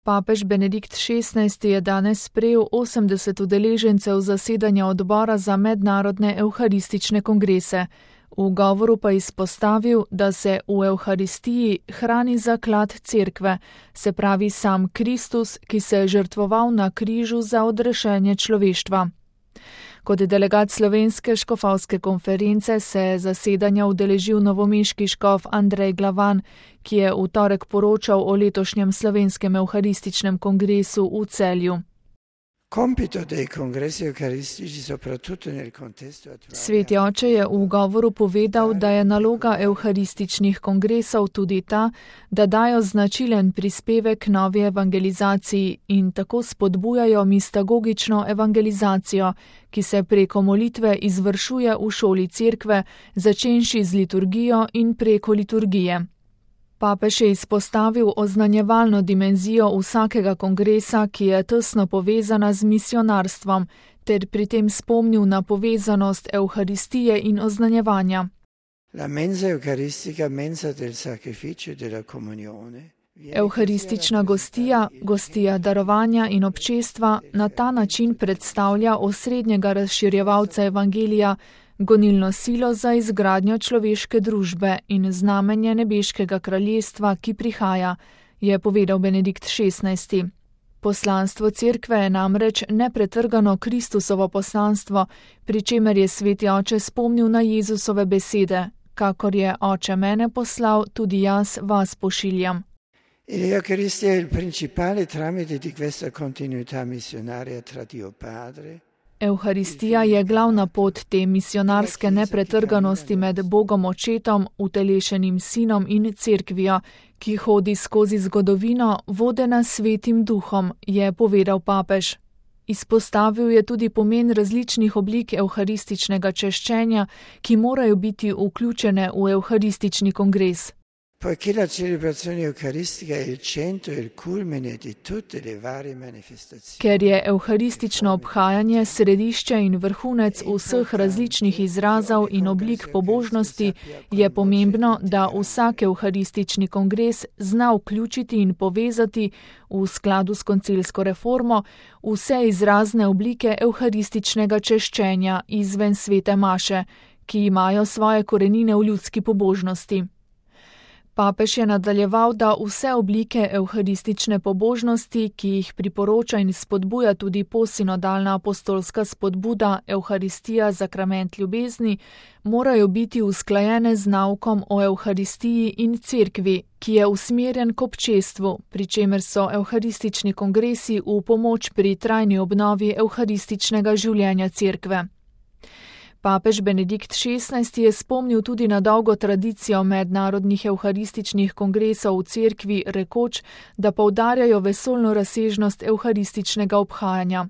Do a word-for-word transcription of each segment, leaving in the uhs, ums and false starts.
Papež Benedikt šestnajsti je danes sprejel osemdeset udeležencev zasedanja odbora za mednarodne evharistične kongrese. V govoru pa izpostavil, da se v Evharistiji hrani zaklad cerkve, se pravi sam Kristus, ki se je žrtvoval na križu za odrešenje človeštva. Kot delegat slovenske škofovske konference se je zasedanja udeležil novomeški škof Andrej Glavan, ki je v torek poročal o letošnjem slovenskem evharističnem kongresu v Celju. Sveti oče je v govoru povedal, da je naloga evharističnih kongresov tudi ta, da dajo značilen prispevek novi evangelizaciji in tako spodbujajo mistagogično evangelizacijo, ki se preko molitve izvršuje v šoli cerkve, začenši z liturgijo in preko liturgije. Papež je izpostavil oznanjevalno dimenzijo vsakega kongresa, ki je tesno povezana z misionarstvom, ter pri tem spomnil na povezanost evharistije in oznanjevanja. Evharistična gostija, gostija darovanja in občestva na ta način predstavlja osrednjega razširjevalca evangelija, gonilno silo za izgradnjo človeške družbe in znamenje nebeškega kraljestva, ki prihaja, je povedal Benedikt šestnajsti. Poslanstvo cerkve je namreč nepretrgano Kristusovo poslanstvo, pri čemer je sveti oče spomnil na Jezusove besede, kakor je oče mene poslal, tudi jaz vas pošiljam. L'Eucaristia è il principale tramite di questa continuità missionaria tra Dio Padre. Evharistija je glavna pot te misionarske nepretrganosti med Bogom Očetom, utelešenim Sinom in Cerkvijo, ki hodi skozi zgodovino, vodena Svetim Duhom, je povedal papež. Izpostavil je tudi pomen različnih oblik evharističnega češčenja, ki morajo biti vključene v evharistični kongres. Poiché la celebrazione eucaristica è il centro e il culmine di tutte le varie manifestazioni. Ker je evharistično obhajanje središče in vrhunec vseh različnih izrazov in oblik pobožnosti, je pomembno, da vsak evharistični kongres zna vključiti in povezati v skladu s koncilsko reformo vse izrazne oblike evharističnega češčenja izven svete maše, ki imajo svoje korenine v ljudski pobožnosti. Papež je nadaljeval, da vse oblike evharistične pobožnosti, ki jih priporoča in spodbuja tudi posinodalna apostolska spodbuda Evharistija sakrament ljubezni, morajo biti usklajene z naukom o evharistiji in cerkvi, ki je usmerjen k občestvu, pri čemer so evharistični kongresi v pomoč pri trajni obnovi evharističnega življenja cerkve. Papež Benedikt šestnajsti je spomnil tudi na dolgo tradicijo mednarodnih evharističnih kongresov v cerkvi, rekoč, da poudarjajo vesoljno razsežnost evharističnega obhajanja.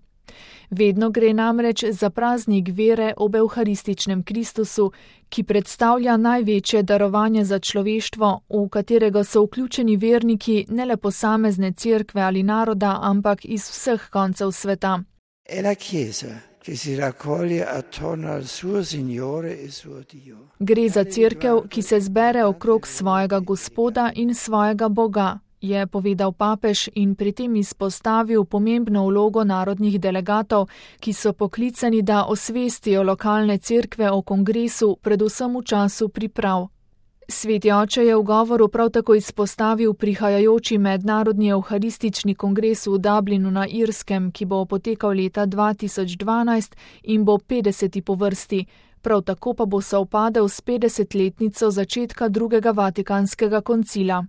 Vedno gre namreč za praznik vere ob evharističnem Kristusu, ki predstavlja največje darovanje za človeštvo, v katerega so vključeni verniki ne le posamezne cerkve ali naroda, ampak iz vseh koncev sveta. Gre za cerkev, ki se zbere okrog svojega Gospoda in svojega Boga, je povedal papež in pri tem izpostavil pomembno vlogo narodnih delegatov, ki so poklicani, da osvestijo lokalne cerkve o kongresu, predvsem v času priprav. Sveti oče je v govoru prav tako izpostavil prihajajoči mednarodni evharistični kongres v Dublinu na Irskem, ki bo potekal leta dva tisoč dvanajst in bo petdeseti po vrsti, prav tako pa bo sovpadel s petdesetletnico začetka drugega vatikanskega koncila.